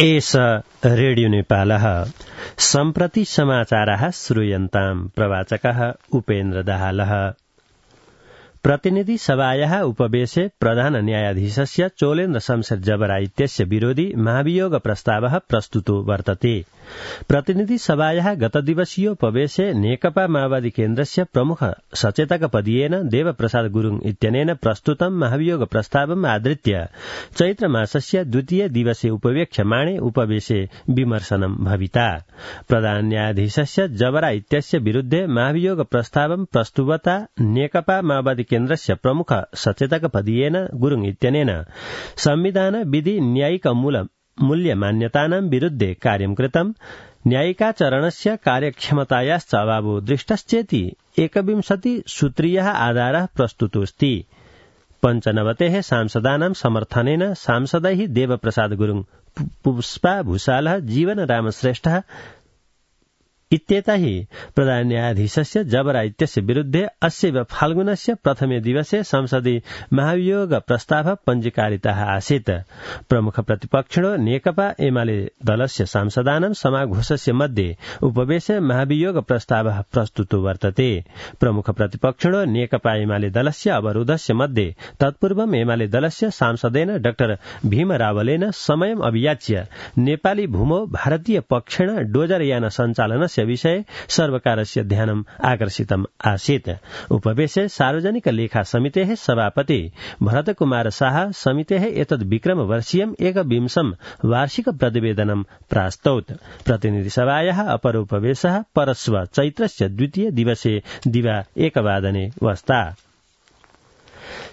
एष रेडियो नेपालः सम्प्रति समाचाराः श्रूयन्ताम् प्रवाचकः उपेन्द्र दाहालः। प्रतिनिधि सभायाः उपवेशे प्रधान न्यायाधीशस्य चोलेन्द्र शमशेर जबरा इत्यस्य विरोधी महाभियोग प्रस्तावः प्रस्तुतो वर्तते। प्रतिनिधि सभायाः गतदिवसीयोपवेशे नेकपा माओवादी केन्द्रस्य प्रमुख सचेतकपदीयेन देवप्रसाद गुरुङ इत्यनेन प्रस्तुतं महाभियोग प्रस्तावम् आधृत्य चैत्रमासस्य द्वितीय दिवसे उपवेक्ष्यमाणे उपवेशे विमर्शनं भविता। प्रधान न्यायाधीशस्य जबरा इत्यस्य विरुद्धे महाभियोग प्रस्तावं प्रस्तुवता नेकपा माओवादी केन्द्रस्य प्रमुख सचेतकपदीयेन गुरुङ इत्यनेन संविधान विधि न्यायिक मूल्य मान्यतानां विरुद्धे कार्यं कृतम्, न्यायिकाचरणस्य कार्यक्षमतायाश्च अभावो दृष्टश्चेति 21 सूत्रीयः आधारः प्रस्तुतोऽस्ति। 95 सांसदानां समर्थनेन सांसदैः देवप्रसाद गुरुङ, पुष्पा भूषालः, जीवन रामश्रेष्ठः इत्येतैः प्रधान न्यायाधीशस्य जबरा इत्यस्य विरुद्धे अस्य फाल्गुनस्य प्रथमे दिवसे संसदि महाभियोग प्रस्ताव पञ्जीकारितः आसीत्। प्रमुख प्रतिपक्षिणो नेकपा एमाले दलस्य सांसदानां समाघोषस्य मध्ये उपवेशे महाभियोग प्रस्तावः प्रस्तुतो वर्तते। प्रमुख प्रतिपक्षिणो नेकपा एमाले दलस्य अवरोधस्य मध्ये तत्पूर्वम् एमाले दलस्य सांसदेन डाक्टर भीम रावलेन समयम् अभियाच्य नेपाली भूमौ भारतीय पक्षेण डोजरयान सञ्चालनस्य विषये सर्वकारस्य ध्यानम् आकर्षितम् आसीत्। उपवेशे सार्वजनिक लेखा समितेः सभापति भरतकुमार शाह समितेः एतद् विक्रमवर्षीयम् 21 वार्षिक प्रतिवेदनं प्रास्तौत्। प्रतिनिधि सभायाः अपरोपवेशः परश्व चैत्रस्य द्वितीय दिवसे दिवा 1 वादने वस्ता।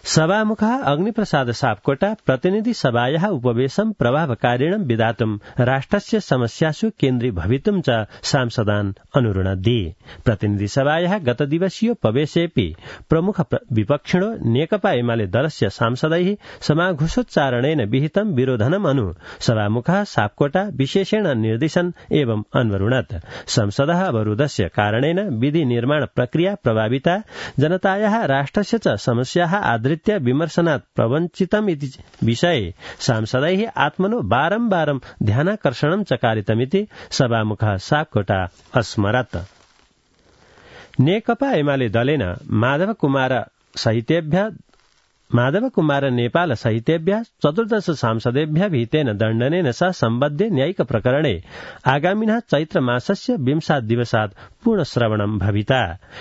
सभामुखः अग्निप्रसाद सापकोटा प्रतिनिधि सभायाः उपवेशं प्रभावकारिणं विधातुं राष्ट्रस्य समस्यासु केन्द्रीभवितुं च सांसदान् अनुरुणद्धि। प्रतिनिधि सभायाः गतदिवसीयोपवेशेऽपि प्रमुख विपक्षिणो नेकपा एमाले दलस्य सांसदैः समाघोषोच्चारणेन विहितं विरोधनम् अनु सभामुखः सापकोटा विशेषेण निर्दिशन् एवं अन्वरुणत्। संसदः अवरोधस्य कारणेन विधि निर्माण प्रक्रिया प्रभाविता, जनतायाः राष्ट्रस्य च समस्याः आधृत्य विमर्शनात् प्रवञ्चितम् इति विषये सांसदैः आत्मनो बारम्बारं ध्यानाकर्षणं चकारितमिति सभामुखः सापकोटा अस्मरत्। नेकपा एमाले दलेन माधव कुमार नेपाल सहितेभ्यः 14 सांसदेभ्यः विहितेन दण्डनेन सह सम्बद्धे न्यायिक प्रकरणे आगामिनः चैत्रमासस्य 20 दिवसात् पूर्णश्रवणं भविता।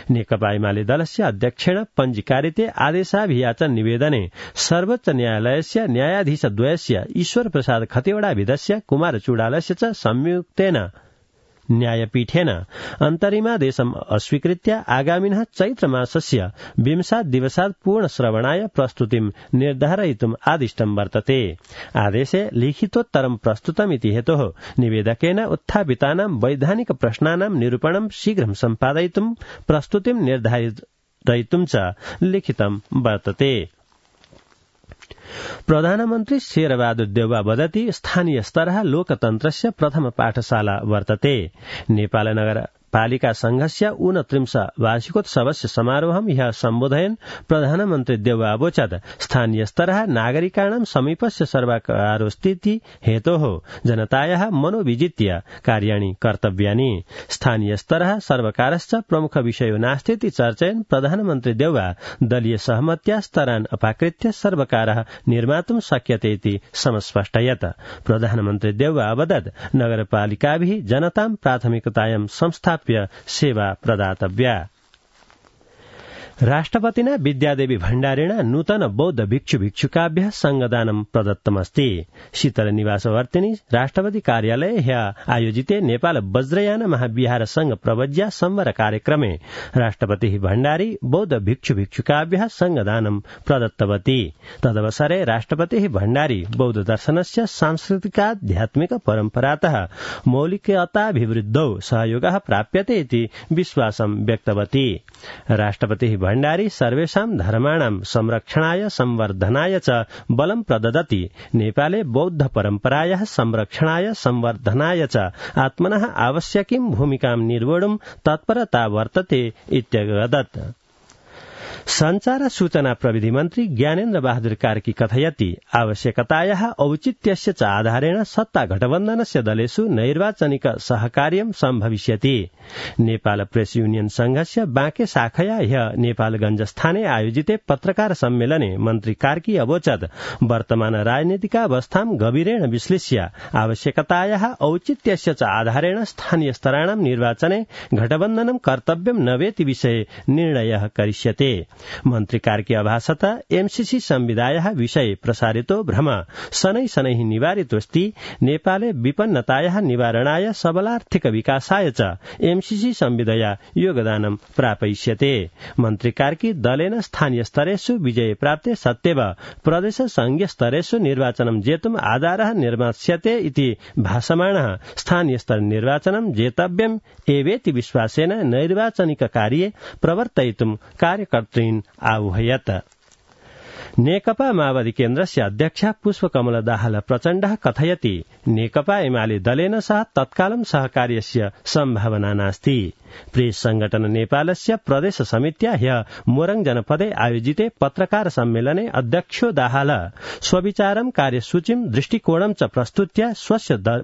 नेकपा एमाले दलस्य अध्यक्षेण पञ्जीकारिते आदेशाभियाचन निवेदने सर्वोच्च न्यायालयस्य न्यायाधीशद्वयस्य ईश्वर प्रसाद खतिवड़ाविधस्य कुमार चूडालस्य च संयुक्तेन न्यायपीठेन अन्तरिमादेशम् अस्वीकृत्य आगामिनः चैत्रमासस्य 20 दिवसात् पूर्णश्रवणाय प्रस्तुतिं निर्धारयितुम् आदिष्टं वर्तते। आदेशे लिखितोत्तरं प्रस्तुतमिति हेतोः निवेदकेन उत्थापितानां वैधानिक प्रश्नानां निरूपणं शीघ्रं सम्पादयितुं प्रस्तुतिं निर्धारयितुं च लिखितं वर्तते। प्रधानमन्त्री शेरबहादुर देउवा वदति स्थानीय स्तरः लोकतन्त्रस्य प्रथम पाठशाला वर्तते। नेपाल नगरपालिका संघस्य 29 वार्षिकोत्सवस्य समारोहं ह्यः सम्बोधयन् प्रधानमन्त्री देउवा अवोचत् स्थानीय स्तरः नागरिकाणां समीपस्य सर्वकारोस्तीति हेतोः जनतायाः मनोविजित्य कार्याणि कर्तव्यानि। स्थानीय स्तरः सर्वकारश्च प्रमुख विषयो नास्तीति चर्चयन् प्रधानमन्त्री देउवा दलीय सहमत्या स्तरान् अपाकृत्य सर्वकारः निर्मातुं शक्यते इति समस्पष्टयत्। प्रधानमन्त्री देउवा अवदत् नगरपालिकाभिः जनतां प्राथमिकतायां संस्थाप्य सेवा प्रदातव्या। राष्ट्रपतिना विद्यादेवी भण्डारिणा नूतन बौद्ध भिक्षु भिक्षुकाभ्यः संगदानं प्रदत्तमस्ति। शीतल निवासवर्तिनी राष्ट्रपति कार्यालये ह्यः आयोजिते नेपाल वज्रयान महाविहार संघ प्रवज्या संवर कार्यक्रमे राष्ट्रपतिः भण्डारी बौद्ध भिक्षु भिक्षुकाभ्यः संगदानं प्रदत्तवती। तदवसरे राष्ट्रपतिः भण्डारी बौद्ध दर्शनस्य सांस्कृतिकाध्यात्मिक परम्परातः मौलिकताभिवृद्धौ सहयोगः प्राप्यते इति विश्वासं व्यक्तवती। राष्ट्रपतिः भण्डारी सर्वेषां धर्माणां संरक्षणाय संवर्धनाय च बलं प्रददति। नेपाले बौद्ध परम्परायाः संरक्षणाय संवर्धनाय च आत्मनः आवश्यकीं भूमिकां निर्वोढुं तत्परता वर्तते इत्यगदत्। संचार सूचना प्रविधि मन्त्री ज्ञानेन्द्र बहादुर कार्की कथयति आवश्यकतायाः औचित्यस्य च आधारेण सत्ता गठबन्धनस्य दलेषु नैर्वाचनिक सहकार्यं सम्भविष्यति। नेपाल प्रेस यूनियन संघस्य बाँके शाखया ह्य नेपालगञ्जस्थाने आयोजिते पत्रकार सम्मेलने मन्त्री कार्की अवोचत् वर्तमान राजनीतिकावस्थां गभीरेण विश्लेष्य आवश्यकतायाः औचित्यस्य च आधारेण स्थानीय स्तराणां निर्वाचने गठबन्धनं कर्तव्यं न वेति विषये निर्णयः करिष्यते। मन्त्री कार्की अभासत एमसीसी संविदायाः विषये प्रसारितो भ्रम शनै शनैः निवारितोऽस्ति। नेपाले विपन्नतायाः निवारणाय सबलार्थिक विकासाय च एमसीसी संविदया योगदानं प्रापयिष्यते। मन्त्री कार्की दलेन स्थानीय स्तरेषु विजय प्राप्ते सत्यव प्रदेश संघीय स्तरेषु निर्वाचनं जेतुम् आधारः निर्मास्यते इति भासमाणः स्थानीय स्तर निर्वाचनं जेतव्यम् एवेति विश्वासेन नैर्वाचनिक कार्ये प्रवर्तयितुम् कार्यकर्तॄन् आह्वयत्। नेकपा माओवादी केन्द्रस्य अध्यक्ष पुष्पकमल दाहाल प्रचण्डः कथयति नेकपा एमाले दलेन सह तत्कालं सहकार्यस्य सम्भावना नास्ति। प्रेस संगठन नेपालस्य प्रदेश समित्या ह्य मोरङ जनपदे आयोजिते पत्रकार सम्मेलने अध्यक्षो दाहाल स्वविचारं कार्यसूचिं दृष्टिकोणं च प्रस्तुत्य स्वस्य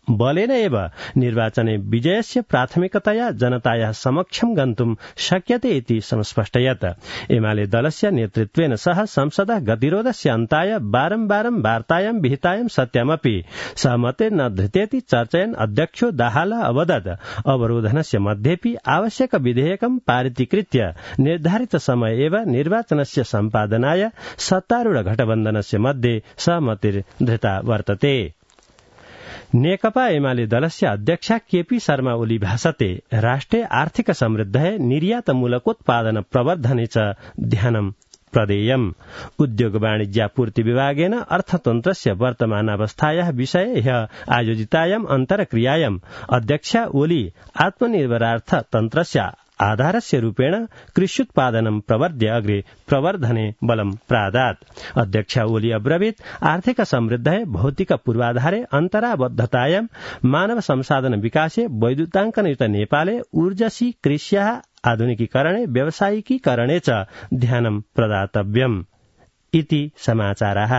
बलेन एव निर्वाचने विजयस्य प्राथमिकतया जनतायाः समक्षं गन्तुं शक्यते इति संस्पष्टयत्। एमाले दलस्य नेतृत्वेन सह संसदः गतिरोधस्य अन्ताय बारम्बारं वार्तायां विहितायां सत्यामपि सहमते न धृतेति चर्चयन् अध्यक्षो दाहाल अवदत् अवरोधनस्य मध्येपि आवश्यक विधेयकं पारितीकृत्य निर्धारित समय एव निर्वाचनस्य सम्पादनाय सत्तारूढ गठबन्धनस्य मध्ये सहमतिर्धृता वर्तते। नेकपा एमाले दलस्य अध्यक्ष केपी शर्मा ओली भाषते राष्ट्रे आर्थिक समृद्धये निर्यातमूलकोत्पादन प्रवर्धने च ध्यानं प्रदेयम्। उद्योग वाणिज्यापूर्ति विभागेन अर्थतन्त्रस्य वर्तमानावस्थायाः विषये ह्य आयोजितायाम् अन्तर्क्रियायाम् अध्यक्ष ओली आत्मनिर्भरार्थ तन्त्रस्य आधारस्य रूपेण कृष्युत्पादनं प्रवर्ध्य अग्रे प्रवर्धने बलं प्रादात्। अध्यक्ष ओली अब्रवीत् आर्थिक समृद्धये भौतिक पूर्वाधारे अन्तराबद्धतायां मानव संसाधन विकासे वैद्युताङ्कनयुत नेपाले ऊर्जसी कृष्याः आधुनिकीकरणे व्यावसायिकीकरणे च ध्यानं प्रदातव्यम् इति समाचाराः।